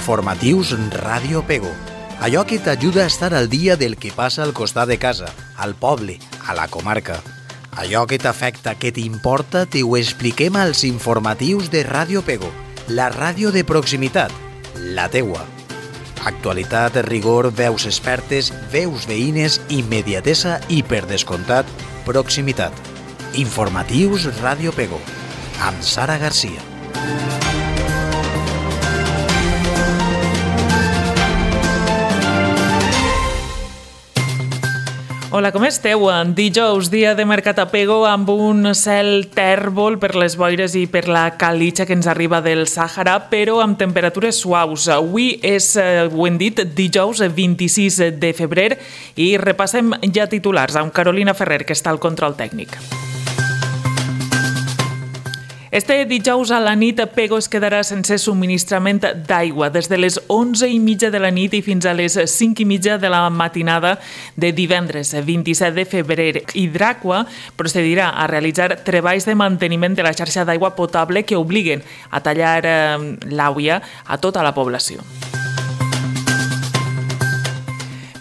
Informatius Ràdio Pego. Allò que t'ajuda a estar al dia del que passa al costat de casa, al poble, a la comarca. Allò que t'afecta, que t'importa, te ho expliquem als informatius de Ràdio Pego, la ràdio de proximitat, la teua. Actualitat, rigor, veus expertes, veus veïnes, immediatesa i, per descomptat, proximitat. Informatius Ràdio Pego, amb Sara Garcia. Hola, com esteu? Dijous, dia de mercat a Pego, amb un cel tèrbol per les boires i per la calitja que ens arriba del Sàhara, però amb temperatures suaus. Avui és, ho hem dit, dijous 26 de febrer i repassem ja titulars amb Carolina Ferrer, que està al control tècnic. Este dijous a la nit, Pego es quedarà sense subministrament d'aigua des de les 11:30 de la nit i fins a les 5:30 de la matinada de divendres 27 de febrer. Hidraqua procedirà a realitzar treballs de manteniment de la xarxa d'aigua potable que obliguen a tallar l'àvia a tota la població.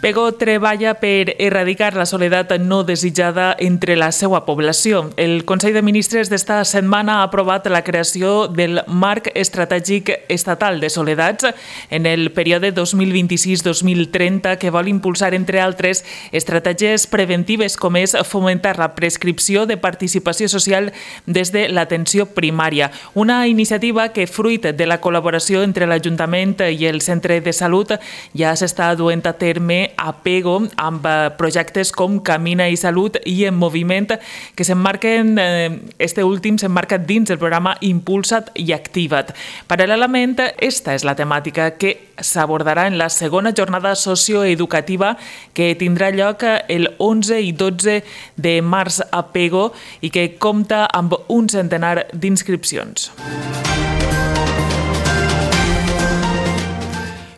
Pego treballa per erradicar la soledat no desitjada entre la seva població. El Consell de Ministres d'esta setmana ha aprovat la creació del Marc Estratègic Estatal de Soledats en el període 2026-2030 que vol impulsar, entre altres, estratègies preventives com és fomentar la prescripció de participació social des de l'atenció primària. Una iniciativa que, fruit de la col·laboració entre l'Ajuntament i el Centre de Salut, ja s'està duent a terme a Pego amb projectes com Camina i Salut i En Moviment, que s'emmarquen, este últim s'emmarca dins el programa Impulsa't i Activa't. Paral·lelament, esta és la temàtica que s'abordarà en la segona jornada socioeducativa que tindrà lloc el 11 i 12 de març a Pego i que compta amb un centenar d'inscripcions.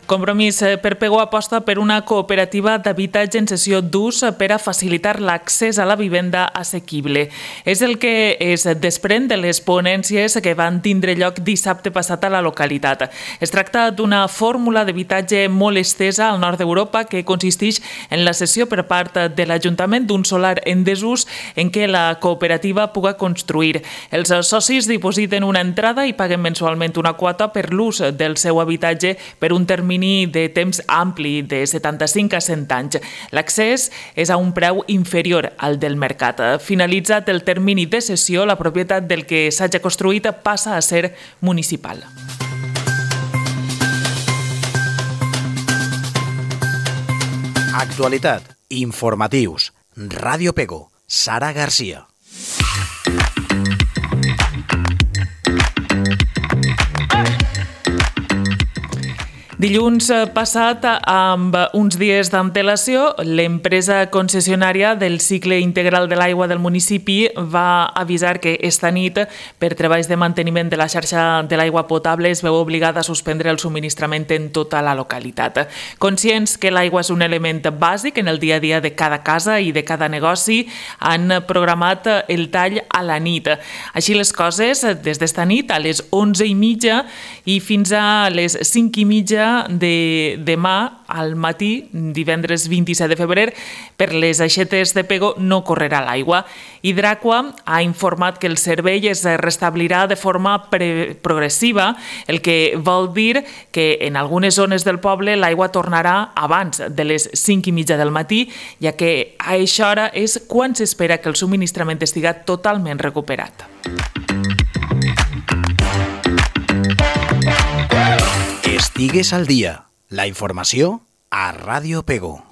Compromís per Pego aposta per una cooperativa d'habitatge en cessió d'ús per a facilitar l'accés a la vivenda assequible. És el que es desprèn de les ponències que van tindre lloc dissabte passat a la localitat. Es tracta d'una fórmula d'habitatge molt estesa al nord d'Europa que consisteix en la cessió per part de l'Ajuntament d'un solar en desús en què la cooperativa puga construir. Els socis dipositen una entrada i paguen mensualment una quota per l'ús del seu habitatge per un termini de temps ampli de 75 a 100 anys. L'accés és a un preu inferior al del mercat. Finalitzat el termini de cessió, la propietat del que s'hagi construït passa a ser municipal. Actualitat, informatius, Ràdio Pego, Sara Garcia. Dilluns passat, amb uns dies d'antelació, l'empresa concessionària del cicle integral de l'aigua del municipi va avisar que esta nit, per treballs de manteniment de la xarxa de l'aigua potable, es veu obligada a suspendre el subministrament en tota la localitat. Conscients que l'aigua és un element bàsic en el dia a dia de cada casa i de cada negoci, han programat el tall a la nit. Així les coses, des d'esta nit a les 11:30 i fins a les 5:30 de demà al matí, divendres 27 de febrer, per les aixetes de Pego no correrà l'aigua. Hidraqua ha informat que el servei es restablirà de forma progressiva, el que vol dir que en algunes zones del poble l'aigua tornarà abans de les 5:30 del matí, ja que a aquesta hora és quan s'espera que el subministrament estiga totalment recuperat. Estigues al dia. La informació a Ràdio Pego.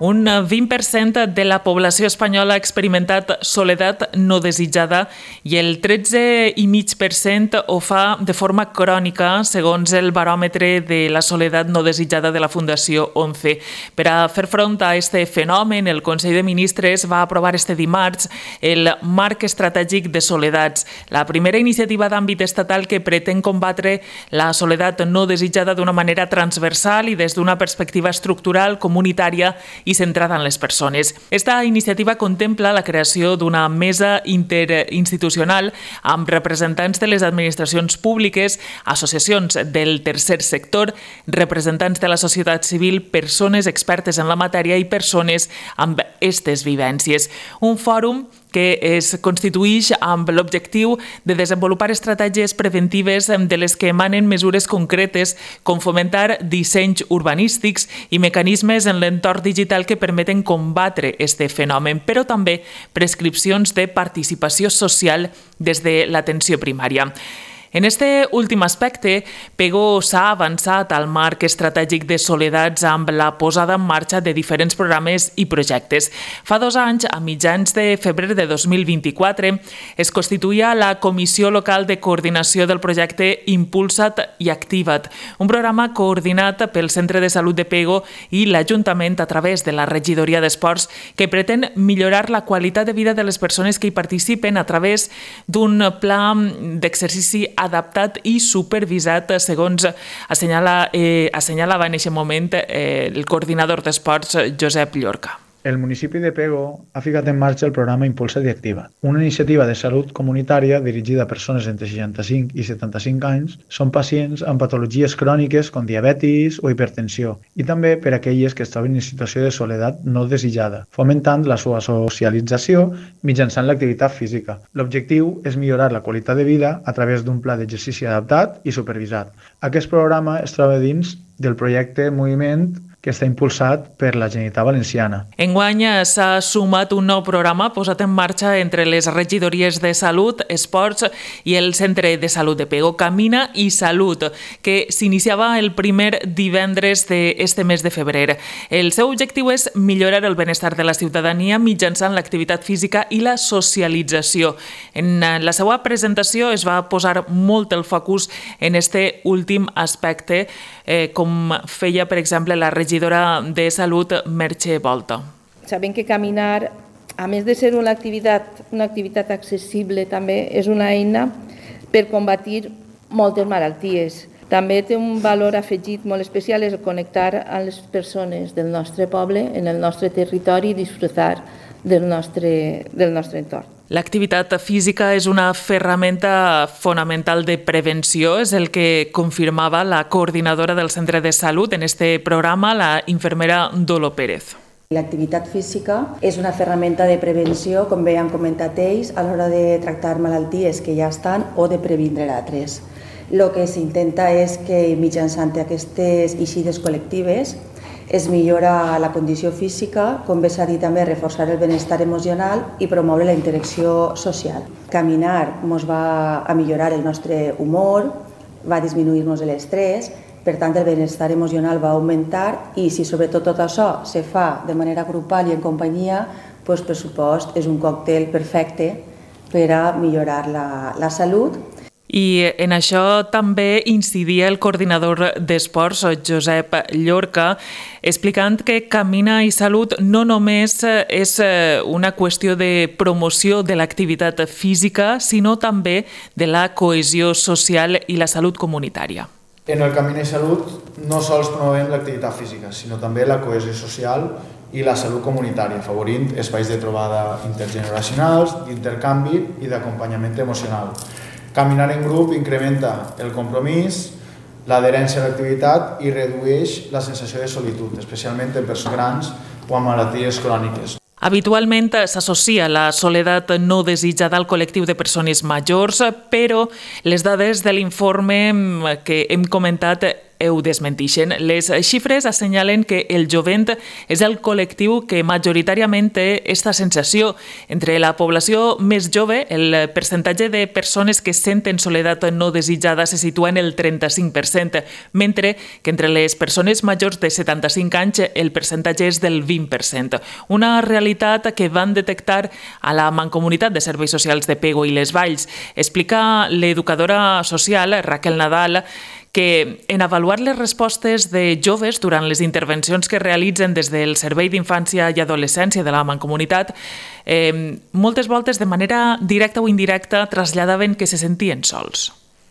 Un 20% de la població espanyola ha experimentat soledat no desitjada i el 13,5% ho fa de forma crònica, segons el baròmetre de la soledat no desitjada de la Fundació 11. Per a fer front a aquest fenomen, el Consell de Ministres va aprovar este dimarts el Marc Estratègic de Soledats, la primera iniciativa d'àmbit estatal que pretén combatre la soledat no desitjada d'una manera transversal i des d'una perspectiva estructural, comunitària i centrada en les persones. Esta iniciativa contempla la creació d'una mesa interinstitucional amb representants de les administracions públiques, associacions del tercer sector, representants de la societat civil, persones expertes en la matèria i persones amb aquestes vivències. Un fòrum que es constituïx amb l'objectiu de desenvolupar estratègies preventives de les que emanen mesures concretes com fomentar dissenys urbanístics i mecanismes en l'entorn digital que permeten combatre aquest fenomen, però també prescripcions de participació social des de l'atenció primària. En este últim aspecte, PEGO s'ha avançat al marc estratègic de Soledats amb la posada en marxa de diferents programes i projectes. Fa 2 anys, a mitjans de febrer de 2024, es constituïa la Comissió Local de Coordinació del projecte Impulsa't i Activa't, un programa coordinat pel Centre de Salut de PEGO i l'Ajuntament a través de la Regidoria d'Esports que pretén millorar la qualitat de vida de les persones que hi participen a través d'un pla d'exercici adaptat i supervisat, segons assenyalava en aquest moment el coordinador d'esports, Josep Llorca. El municipi de Pego ha ficat en marxa el programa Impulsa't i Activa't, una iniciativa de salut comunitària dirigida a persones entre 65 i 75 anys. Són pacients amb patologies cròniques com diabetis o hipertensió i també per a aquelles que es troben en situació de soledat no desitjada, fomentant la seva socialització mitjançant l'activitat física. L'objectiu és millorar la qualitat de vida a través d'un pla d'exercici adaptat i supervisat. Aquest programa es troba dins del projecte Moviment que està impulsat per la Generalitat Valenciana. Enguany s'ha sumat un nou programa posat en marxa entre les regidories de Salut, Esports i el Centre de Salut de Pego, Camina i Salut, que s'iniciava el primer divendres d'este mes de febrer. El seu objectiu és millorar el benestar de la ciutadania mitjançant l'activitat física i la socialització. En la seva presentació es va posar molt el focus en este últim aspecte, com feia, per exemple, la regidora de Salut, Merche Volta. Sabem que caminar, a més de ser una activitat accessible, també és una eina per combatir moltes malalties. També té un valor afegit molt especial, és connectar amb les persones del nostre poble, en el nostre territori i disfrutar del nostre entorn. L'activitat física és una ferramenta fonamental de prevenció, és el que confirmava la coordinadora del Centre de Salut en este programa, la infermera Dolo Pérez. L'activitat física és una ferramenta de prevenció, com bé han comentat ells, a l'hora de tractar malalties que ja estan o de previndre altres. El que s'intenta és que mitjançant aquestes eixides col·lectives es millora la condició física, com bé s'ha dit també, reforçar el benestar emocional i promoure la interacció social. Caminar ens va a millorar el nostre humor, va disminuir-nos l'estrès, per tant el benestar emocional va augmentar i si sobretot tot això se fa de manera grupal i en companyia, doncs per supost és un còctel perfecte per a millorar la salut. I en això també incidia el coordinador d'esports, Josep Llorca, explicant que Camina i Salut no només és una qüestió de promoció de l'activitat física, sinó també de la cohesió social i la salut comunitària. En el Camina i Salut no sols promovem l'activitat física, sinó també la cohesió social i la salut comunitària, afavorint espais de trobada intergeneracionals, d'intercanvi i d'acompanyament emocional. Caminar en grup incrementa el compromís, l'adherència a l'activitat i redueix la sensació de solitud, especialment en persones grans o amb malalties cròniques. Habitualment s'associa la soledat no desitjada al col·lectiu de persones majors, però les dades de l'informe que hem comentat ho desmentixen. Les xifres assenyalen que el jovent és el col·lectiu que majoritàriament té aquesta sensació. Entre la població més jove, el percentatge de persones que senten soledat no desitjada se situa en el 35%, mentre que entre les persones majors de 75 anys el percentatge és del 20%. Una realitat que van detectar a la Mancomunitat de Serveis Socials de Pego i les Valls. Explica l'educadora social, Raquel Nadal, que en avaluar les respostes de joves durant les intervencions que realitzen des del Servei d'Infància i Adolescència de la Mancomunitat, moltes voltes de manera directa o indirecta traslladaven que se sentien sols.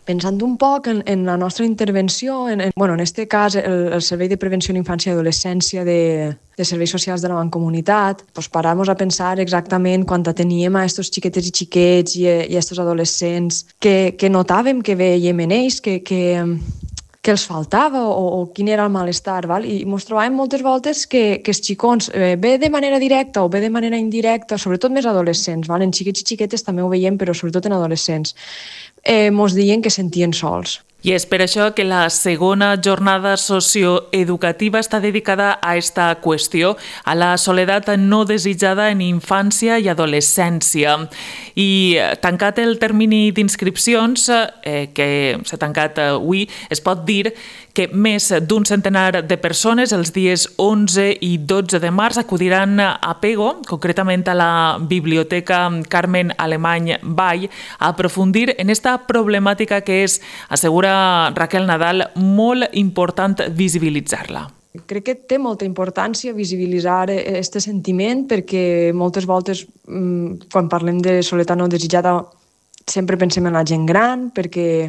Pensant un poc en la nostra intervenció, en este cas el Servei de Prevenció en Infància i Adolescència de Serveis Socials de la Mancomunitat, doncs parar-nos a pensar exactament quan teníem a estos xiquetes i xiquets i a estos adolescents que notàvem que veiem en ells, que els faltava o quin era el malestar. Val? I ens trobàvem moltes voltes que els xicons, bé de manera directa o bé de manera indirecta, sobretot més adolescents, val? En xiquets i xiquetes també ho veiem, però sobretot en adolescents, ens deien que sentien sols. I és per això que la segona jornada socioeducativa està dedicada a aquesta qüestió, a la soledat no desitjada en infància i adolescència. I tancat el termini d'inscripcions, que s'ha tancat avui, es pot dir que més d'un centenar de persones els dies 11 i 12 de març acudiran a Pego, concretament a la Biblioteca Carmen Alemany Vall, a aprofundir en esta problemàtica que és, assegura Raquel Nadal, molt important visibilitzar-la. Crec que té molta importància visibilitzar aquest sentiment perquè moltes voltes, quan parlem de soledat no desitjada, sempre pensem en la gent gran perquè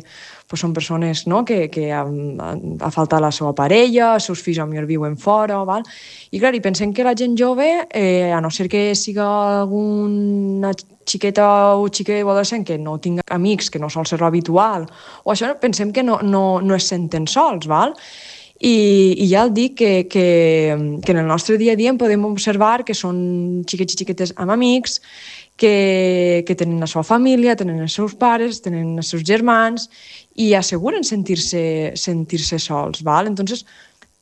són persones que ha faltat la seva parella, els seus fills potser viuen fora, val? I clar, pensem que la gent jove, a no ser que siga alguna xiqueta o xiquet o adolescent que no tinga amics, que no sol ser l'habitual, o això pensem que no es senten sols, val? I ja el dic que en el nostre dia a dia podem observar que són xiquets i xiquetes amb amics, que tenen la seva família, tenen els seus pares, tenen els seus germans i asseguren sentir-se sols. Val? Entonces,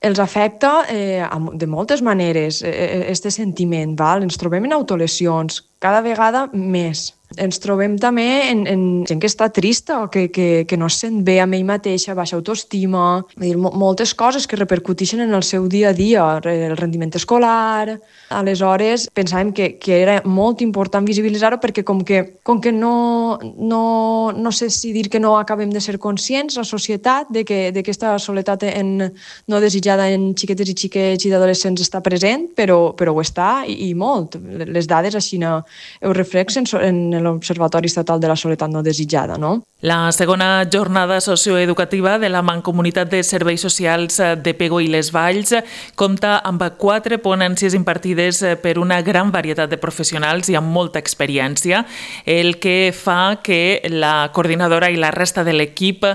els afecta de moltes maneres aquest sentiment. Val? Ens trobem en autolesions, cada vegada més. Ens trobem també en gent que està trista o que no es sent bé amb ell mateixa, baixa autoestima, moltes coses que repercuteixen en el seu dia a dia, el rendiment escolar. Aleshores, pensàvem que era molt important visibilitzar-ho perquè com que no sé si dir que no acabem de ser conscients, la societat, de que aquesta soledat no desitjada en xiquetes i xiquets i d'adolescents està present, però ho està i molt. Les dades així ho reflexen en l'Observatori Estatal de la Soledat no desitjada, no? La segona jornada socioeducativa de la Mancomunitat de Serveis Socials de Pego i les Valls compta amb 4 ponències impartides per una gran varietat de professionals i amb molta experiència, el que fa que la coordinadora i la resta de l'equip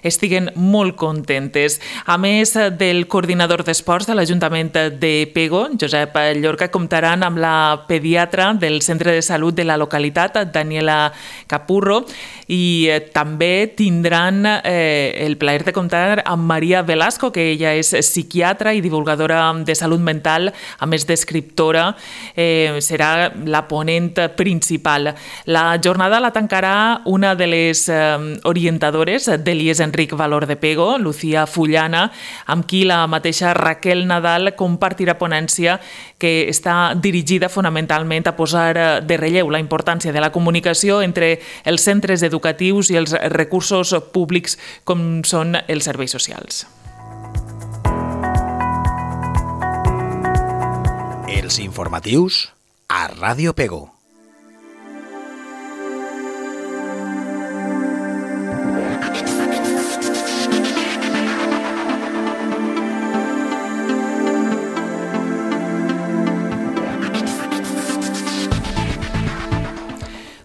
estiguen molt contentes. A més del coordinador d'esports de l'Ajuntament de Pego, Josep Llorca, comptaran amb la pediatra del Centre de Salut de la localitat, Daniela Capurro, i també tindran el plaer de comptar amb Maria Velasco, que ella és psiquiatra i divulgadora de salut mental, a més d'escriptora, serà la ponent principal. La jornada la tancarà una de les orientadores de l'IES Enric Valor de Pego, Lucía Fullana, amb qui la mateixa Raquel Nadal compartirà ponència que està dirigida fonamentalment a posar de relleu la importància de la comunicació entre els centres educatius i els recursos públics com són els serveis socials. Els informatius a Ràdio Pego.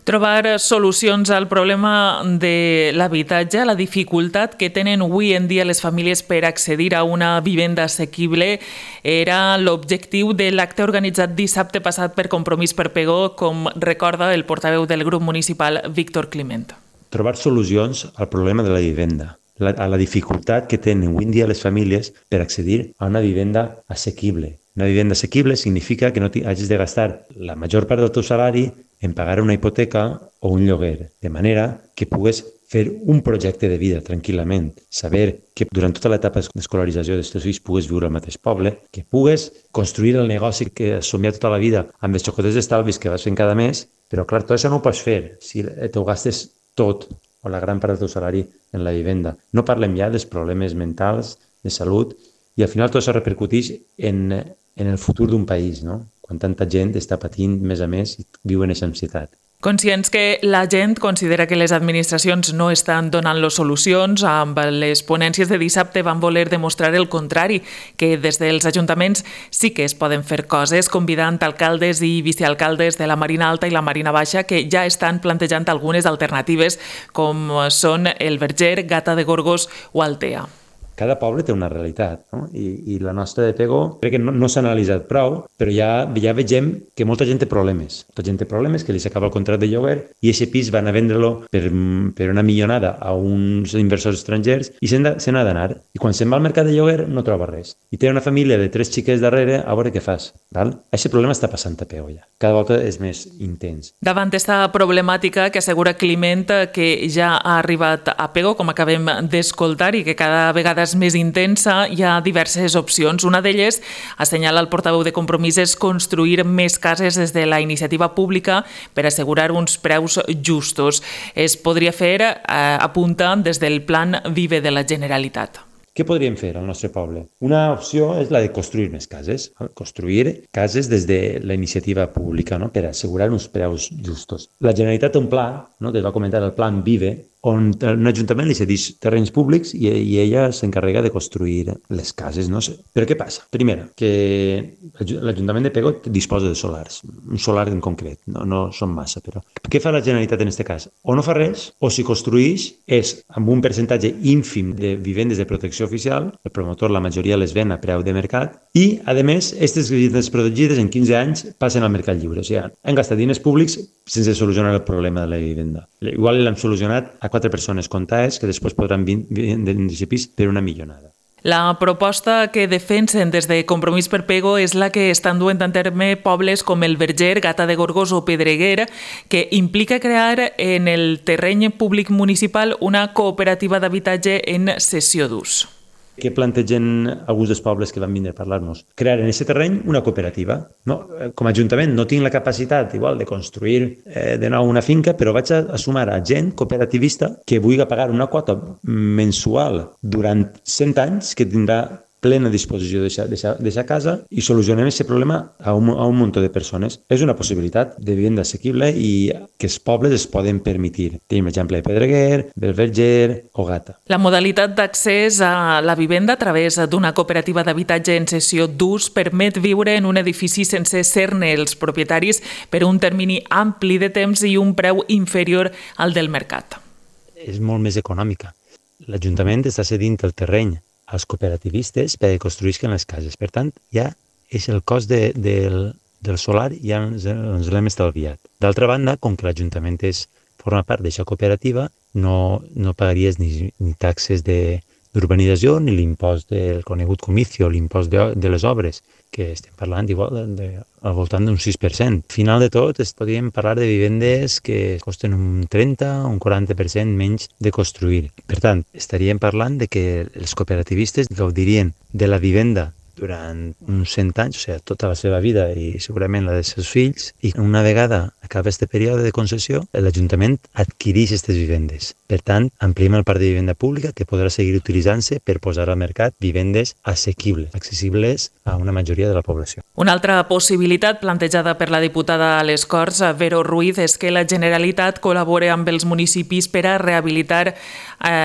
Trobar solucions al problema de l'habitatge, la dificultat que tenen avui en dia les famílies per accedir a una vivenda assequible, era l'objectiu de l'acte organitzat dissabte passat per Compromís per Pego, com recorda el portaveu del grup municipal, Víctor Climent. Trobar solucions al problema de la vivenda, a la dificultat que tenen avui en dia les famílies per accedir a una vivenda assequible. Una vivenda assequible significa que no hagis de gastar la major part del teu salari en pagar una hipoteca o un lloguer, de manera que pugues fer un projecte de vida tranquil·lament, saber que durant tota l'etapa d'escolarització dels teus fills pugues viure al mateix poble, que pugues construir el negoci que has somiat tota la vida amb els xocotets d'estalvis que vas fent cada mes, però clar, tot això no ho pots fer si t'ho gastes tot o la gran part del teu salari en la vivenda. No parlem ja dels problemes mentals, de salut, i al final tot això repercuteix en el futur d'un país, no? Quan tanta gent està patint més a més i viu en aquesta ansietat. Conscients que la gent considera que les administracions no estan donant-los solucions, amb les ponències de dissabte van voler demostrar el contrari, que des dels ajuntaments sí que es poden fer coses, convidant alcaldes i vicealcaldes de la Marina Alta i la Marina Baixa que ja estan plantejant algunes alternatives, com són el Verger, Gata de Gorgos o Altea. Cada poble té una realitat, no? I la nostra de Pego crec que no s'ha analitzat prou, però ja vegem que molta gent té problemes. Molta gent té problemes, que li s'acaba el contracte de lloguer i aquest pis van a vendre-lo per una milionada a uns inversors estrangers i se n'ha d'anar. I quan se'n va al mercat de lloguer no troba res. I té una família de 3 xiquets darrere, a veure què fas. Aquest problema està passant a Pego ja. Cada volta és més intens. Davant aquesta problemàtica que assegura Climent que ja ha arribat a Pego, com acabem d'escoltar, i que cada vegada és més intensa, hi ha diverses opcions. Una d'elles, assenyala el portaveu de Compromís, és construir més cases des de la iniciativa pública per assegurar uns preus justos. Es podria fer, apuntant, des del Plan Vive de la Generalitat. Què podríem fer al nostre poble? Una opció és la de construir més cases. Construir cases des de la iniciativa pública, no? Per assegurar uns preus justos. La Generalitat té un pla, no? Que es va comentar el Plan Vive, on un ajuntament li cedeix terrenys públics i ella s'encarrega de construir les cases. No? Però què passa? Primera, que l'Ajuntament de Pego disposa de solars, un solar en concret, no són massa, però què fa la Generalitat en aquest cas? O no fa res, o si construeix és amb un percentatge ínfim de vivendes de protecció oficial, el promotor la majoria les ven a preu de mercat, i, a més, aquestes vivendes protegides en 15 anys passen al mercat lliure. O sigui, han gastat diners públics sense solucionar el problema de la vivenda. Igual l'han solucionat a 4 persones comptades que després podran vendre aquest pis per una milionada. La proposta que defensen des de Compromís per Pego és la que estan duent a terme pobles com el Verger, Gata de Gorgos o Pedreguer, que implica crear en el terreny públic municipal una cooperativa d'habitatge en cessió d'ús. Què plantegen alguns dels pobles que van vindre a parlar-nos? Crear en aquest terreny una cooperativa. No, com a Ajuntament no tinc la capacitat igual de construir de nou una finca, però vaig a sumar a gent cooperativista que vulgui pagar una quota mensual durant 100 anys, que tindrà plena disposició d'aquesta casa i solucionem aquest problema a un munt de persones. És una possibilitat de vivenda assequible i que els pobles es poden permetre. Tenim l'exemple de Pedreguer, del Verger o Gata. La modalitat d'accés a la vivenda a través d'una cooperativa d'habitatge en cessió d'ús permet viure en un edifici sense ser-ne els propietaris per un termini ampli de temps i un preu inferior al del mercat. És molt més econòmica. L'Ajuntament està cedint el terreny als cooperativistes perquè construïsquen les cases. Per tant, ja és el cost del solar ja ens l'hem estalviat. D'altra banda, com que l'Ajuntament forma part d'aquesta cooperativa, no pagaries ni taxes d'urbanització ni l'impost del conegut comicio, l'impost de les obres, que estem parlant igual al voltant d'un 6%. Al final de tot, podríem parlar de vivendes que costen un 30 o un 40% menys de construir. Per tant, estaríem parlant de que els cooperativistes gaudirien de la vivenda durant uns 100 anys, o sigui, tota la seva vida i segurament la dels seus fills, i una vegada acaba aquest període de concessió, l'Ajuntament adquireix aquestes vivendes. Per tant, ampliem el parc de vivenda pública que podrà seguir utilitzant-se per posar al mercat vivendes assequibles, accessibles a una majoria de la població. Una altra possibilitat plantejada per la diputada a les Corts, Vero Ruiz, és que la Generalitat col·labore amb els municipis per a rehabilitar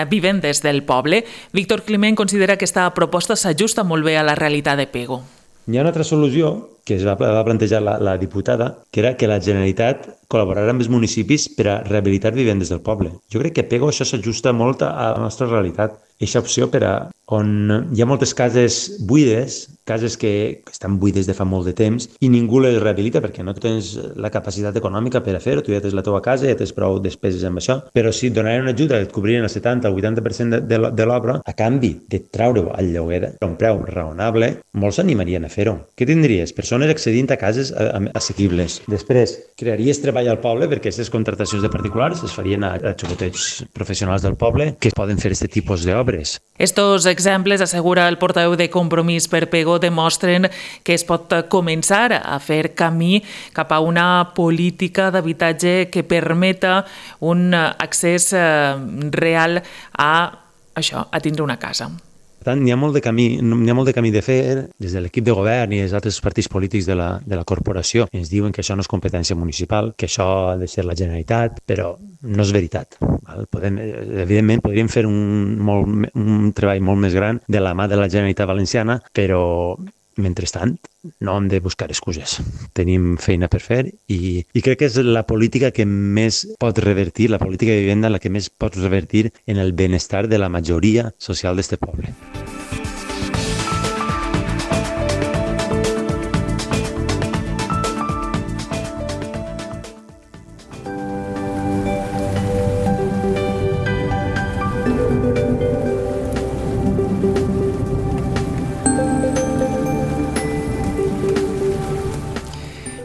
vivendes del poble. Víctor Climent considera que aquesta proposta s'ajusta molt bé a la realitat de Pego. Hi ha una altra solució que es va plantejar la diputada, que era que la Generalitat col·laborarà amb els municipis per a rehabilitar vivendes del poble. Jo crec que a Pego això s'ajusta molt a la nostra realitat. Aquesta opció per a on hi ha moltes cases buides, cases que estan buides de fa molt de temps i ningú les rehabilita perquè no tens la capacitat econòmica per a fer-ho, tu ja tens la teva casa, ja tens prou despeses amb això, però si et donarien una ajuda, et cobrien el 70 o el 80% de l'obra, a canvi de treure-ho al lloguer a un preu raonable, molts s'animarien a fer-ho. Què tindries? Persones accedint a cases assequibles. Després, crearies treball al poble perquè aquestes contractacions de particulars es farien a xocotets professionals del poble que poden fer aquest tipus d'obres. Estos exemples, assegura el portaveu de Compromís per Pego, demostren que es pot començar a fer camí cap a una política d'habitatge que permeta un accés real a tindre una casa. Per tant, n'hi ha molt de camí de fer des de l'equip de govern i els altres partits polítics de la corporació. Ens diuen que això no és competència municipal, que això ha de ser la Generalitat, però no és veritat. Evidentment, podríem fer un treball molt més gran de la mà de la Generalitat Valenciana, però mentrestant, no hem de buscar excuses. Tenim feina per fer i crec que és la política que més pot revertir, la política de vivenda la que més pot revertir en el benestar de la majoria social d'este poble.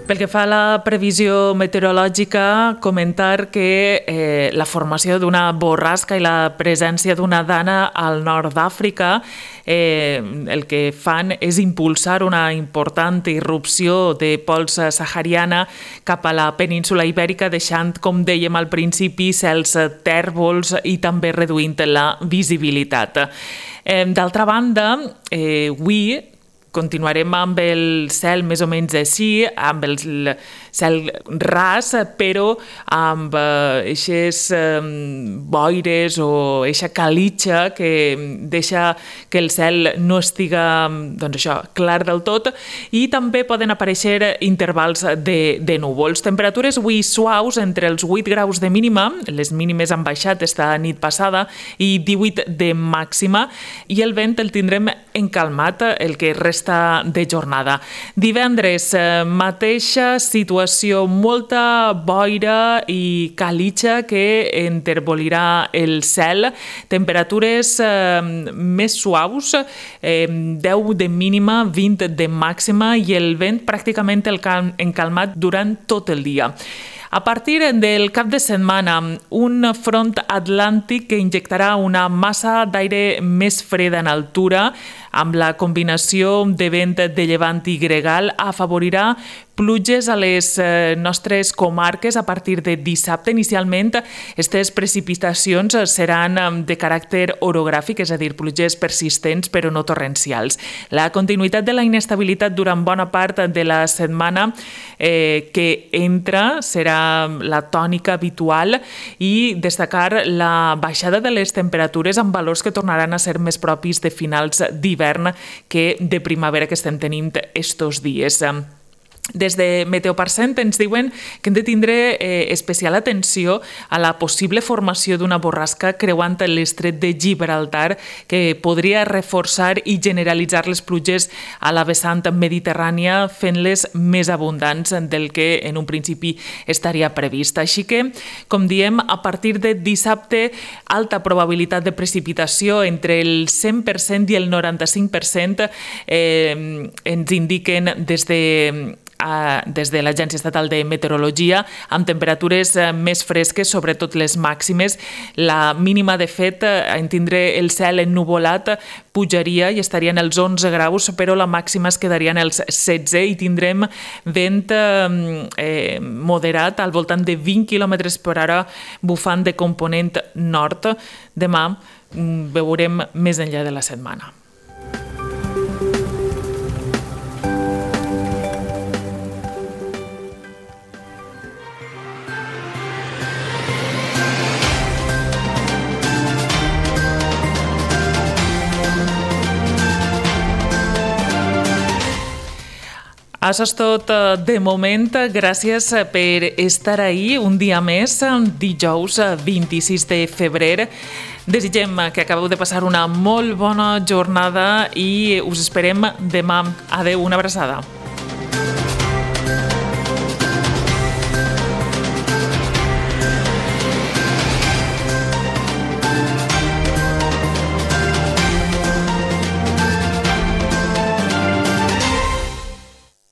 Pel que fa a la previsió meteorològica, comentar que la formació d'una borrasca i la presència d'una dana al nord d'Àfrica el que fan és impulsar una important irrupció de pols sahariana cap a la península ibèrica, deixant, com dèiem al principi, cels tèrbols i també reduint la visibilitat. D'altra banda, avui continuarem amb el cel més o menys així, amb el cel ras, però amb eixes boires o eixa calitxa que deixa que el cel no estiga clar del tot, i també poden aparèixer intervals de núvols. Temperatures avui suaus, entre els 8 graus de mínima, les mínimes han baixat esta nit passada, i 18 de màxima, i el vent el tindrem encalmat el que resta de jornada. Divendres, mateixa situació, molta boira i calitxa que enterbolirà el cel, temperatures més suaus, 10 de mínima, 20 de màxima, i el vent pràcticament encalmat durant tot el dia. A partir del cap de setmana, un front atlàntic que injectarà una massa d'aire més freda en altura, amb la combinació de vent de llevant i gregal, afavorirà pluges a les nostres comarques a partir de dissabte. Inicialment, aquestes precipitacions seran de caràcter orogràfic, és a dir, pluges persistents però no torrencials. La continuïtat de la inestabilitat durant bona part de la setmana que entra serà la tònica habitual, i destacar la baixada de les temperatures amb valors que tornaran a ser més propis de finals d'hivern que de primavera que estem tenint estos dies. Des de Meteoparcent ens diuen que hem de tindre especial atenció a la possible formació d'una borrasca creuant l'estret de Gibraltar, que podria reforçar i generalitzar les pluges a la vessant mediterrània, fent-les més abundants del que en un principi estaria previst. Així que, com diem, a partir de dissabte, alta probabilitat de precipitació, entre el 100% i el 95% ens indiquen des de l'Agència Estatal de Meteorologia, amb temperatures més fresques, sobretot les màximes. La mínima, de fet, en tindre el cel ennuvolat, pujaria i estaria en els 11 graus, però la màxima es quedaria en els 16, i tindrem vent moderat al voltant de 20 km per hora bufant de component nord. Demà veurem més enllà de la setmana. Això és tot de moment. Gràcies per estar ahí un dia més, dijous 26 de febrer. Desitgem que acabeu de passar una molt bona jornada i us esperem demà. Adeu, una abraçada.